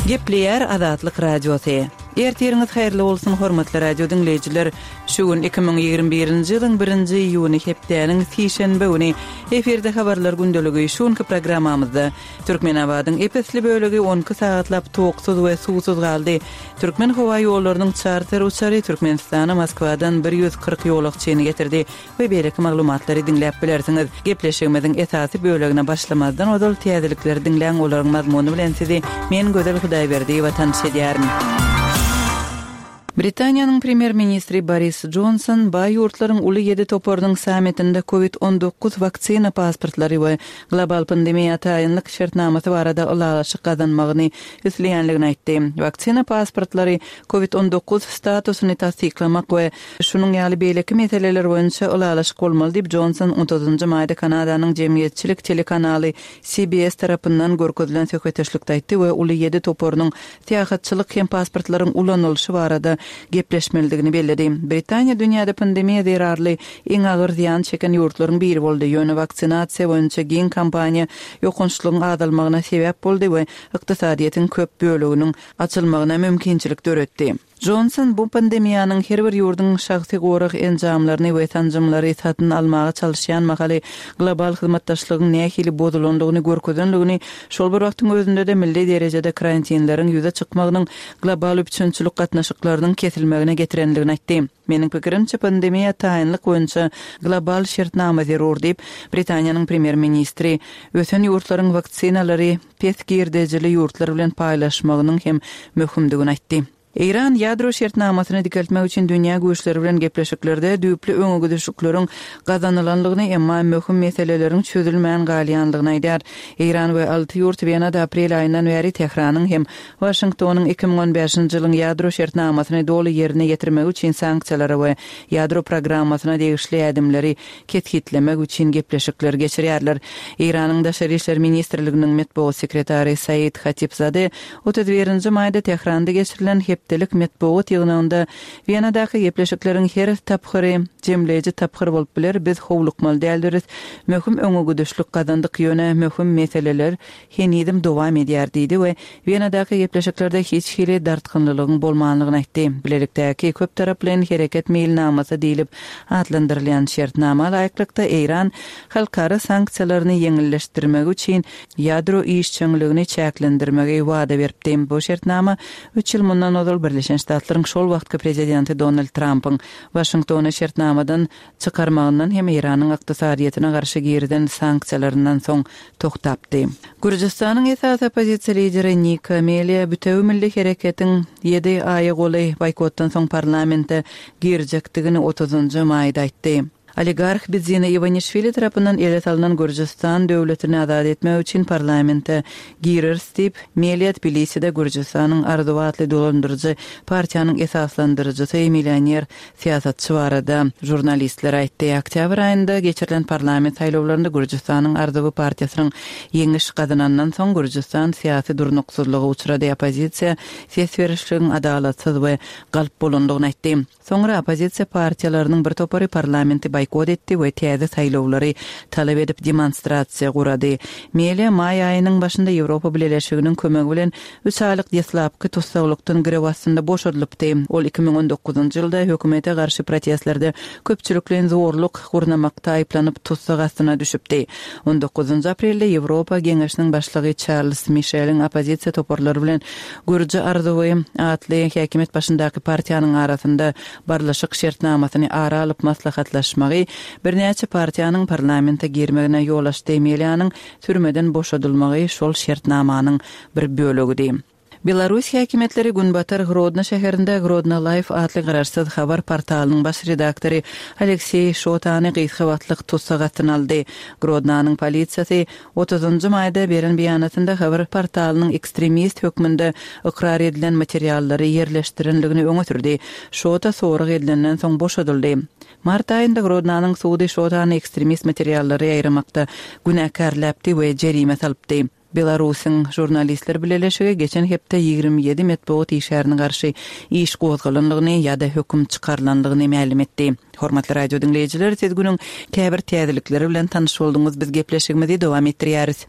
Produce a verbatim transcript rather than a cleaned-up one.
Gepleýär Azatlyk Radiosy. Ertiriňiz haýyrly bolsun, hormatly radio diňleýjiler. Şu gün iki müň ýigrimi birinji ýylyň birinji iýuny hepdäniň sişenbe güni. Efirde habarlar gündeligi. Şu günki programmamyzda Türkmenabadyň ep-esli bölegi on iki sagatlap toksuz we suwsuz galdy. Türkmen howa ýollarynyň çarter uçary Türkmenistana Moskwadan bir ýüz kyrk ýolagçyny getirdi we beýleki maglumatlary diňläp bilersiňiz. Gepleşigimiziň esasy bölegine başlamazdan ozal täzelikleri diňläň, olaryň mazmuny bilen sizi men Gözel Hudaýberdiýewa tanyş edýärin. Britaniýanyň premýer-ministri Boris Jonson baý ýurtlaryň uly ýedi toparynyň sammitinde kowid on dokuz waksina pasportlary we global pandemiýa taýynlyk şertnamasy barada ylalaşyk gazanmagyny isleýänligini aýtdy. Waksina pasportlary kowid on dokuz statusyny tassyklamak we şunuň ýaly beýleki meseleler boýunça ylalaşyk bolmaly diýip, Jonson otuzynjy maýda Kanadanyň jemgyýetçilik telekanaly C B S tarapyndan görkezilen söhbetdeşlikde aýtdy we uly ýedi toparynyň syýahatçylyk hem pasportlaryň ulanylyşy barada gepleşmelidigini belledi. Britaniýa dünýäde pandemiýa zerarly iň agyr zyýan çeken ýurtlaryň biri boldy. Ýöne waksinasiýa boýunça giň kampaniýa ýokançlygyň azalmagyna sebäp boldy we ykdysadyýetiň köp böleginiň açylmagyna mümkinçilik döretdi. Johnson bu pandemiýanyň her bir ýurduň şahsy gorag enjamlaryny we sanjymlary satyn almaga çalışýan mahaly global hyzmatdaşlygyň nähili bozulandygyny görkezenligini, şol bir wagtyň özünde-de milli derejede karantinleriň ýüze çykmagynyň global üpjünçilik gatnaşyklarynyň kesilmegine getirenligini aýtdy. Meniň pikirimçe pandemiýa taýynlyk boýunça global şertnama zerur diýip, Britaniýanyň premýer-ministri ösen ýurtlaryň waksinalary pes girdejili ýurtlar bilen paýlaşmagynyň hem möhümdigini aýtdy. Eýran ýadro şertnamasyny dikeltmek üçin dünýä güýçleri bilen gepleşiklerde düýpli öňegidişlikleriň gazanylanlygyny, emma möhüm meseleleriň çözülmän galýanlygyny aýdar. Eýran we alty ýurt Wenada aprel aýyndan bäri Tehranyň hem Waşingtonyň iki müň on bäşinji ýylyň ýadro şertnamasyny doly ýerine ýetirmegi üçin sanksiýalara we ýadro programmasyna degişli ädimleri kesgitlemek üçin gepleşikler geçirýärler. Eýranyň Daşary işler ministrliginiň metbugat sekretary Said Hatipzade otuz birinji maýda Tehranda geçirilen hepdelik metbugat ýygnagynda Wenadaky gepleşikleriň her tapgyry jemleýji tapgyr bolup biler, biz howlukmaly däldiris, möhüm öňegidişlik gazandyk, ýöne möhüm meseleler henizem dowam edýär diýdi we Wenadaky gepleşiklerde hiç hili dartgynlylygyň bolmanlygyny aýtdy. Bilelikdäki köp taraplaýyn hereket meýilnamasy diýlip atlandyrylýan şertnama laýyklykda Eýran halkara sanksiýalaryny ýeňilleşdirmegi üçin ýadro işjeňligini çäklendirmegi wada beripdi. Bu şertnama üç ýyl mundan ozal Birleşen Ştatlaryň şol wagtky prezidenti Donald Trumpyň Waşingtony şertnamadan çykarmagyndan hem Eýranyň ykdysadyýetine garşy girizen sanksiýalaryndan soň toktapdy. Gürjüstanyň esasy oppozisiýa lideri Nika Melia bütewi milli hereketiň ýedi aýa golaý boýkotdan soň parlamente girjekdigini otuzynjy maýda aýtdy. Oligarx Bidzina Iwanişwili tarapyndan ele salynan Gürjüstan döwletini azat etmek üçin parlamente gireris diýip, Melia Tbiliside Gürjüstanyň Arzuw atly dolandyryjy partiýanyň esaslandyryjysy millioner syýasatçy barada žurnalistler aýtdy. Oktýabr aýynda geçirilen parlament saýlawlarynda Gürjüstanyň Arzuwy partiýasynyň ýeňiş gazanandan soň Gürjüstan syýasy durnuksyzlyga uçrady. Oppozisiýa ses berişligiň adalatsyz we galp bolandygyny aýtdy. Soňra oppozisiýa partiýalarynyň bir topary parlamenti boýkot etdi we täze saýlawlary talap edip demonstrasiýa gurady. Melia maý aýynyň başynda Ýewropa Bileleşiginiň kömegi bilen üç aýlyk deslapky tussaglykdan girew astynda boşadylypdy. Ol iki müň on dokuzynjy ýylda hökümete garşy protestlerde köpçülikleýin zorluk gurnamakda aýyplanyp tussag astyna düşüpdi. On dokuzynjy aprelde Ýewropa Geňeşiniň başlygy Charles Michel'iň oppozisiýa toparlary bilen Gürji Arzuwy atly häkimiýet başyndaky partiýanyň arasynda barlyşyk şertnamasyny ara alyp maslahatlaşmagy birnäçe partiýanyň parlamente girmegine ýol açdy. Melianyň türmeden boşadylmagy şol şertnamanyň bir bölegidi. Belarus häkimiýetleri Günbatar Grodno şäherinde Grodno Life atly garaşsyz habar portalynyň baş redaktory Aleksey Şotany gysga wagtlyk tussag astyna aldy. Grodnanyň polisiýasy otuzynjy maýda beren beýanatynda habar portalynyň ekstremist hökmünde ykrar edilen materiallary ýerleşdirenligini öňe sürdi. Şota sorag edilenden soň boşadyldy. Mart aýynda Grodnanyň sudy Şotany ekstremist materiallary ýaýramakda günäkärläpdi we jerime salypdy. Belarusyň žurnalistler bileleşigi geçen hepde ýigrimi ýedi metbugat işgärine garşy iş gozgalanlygyny ýa-da höküm çykarylanlygyny mälim etdi. Hormatly radio diňleýjiler, siz günüň käbir täzelikleri bilen tanyş bolduňyz. Biz gepleşigimizi dowam etdirýäris.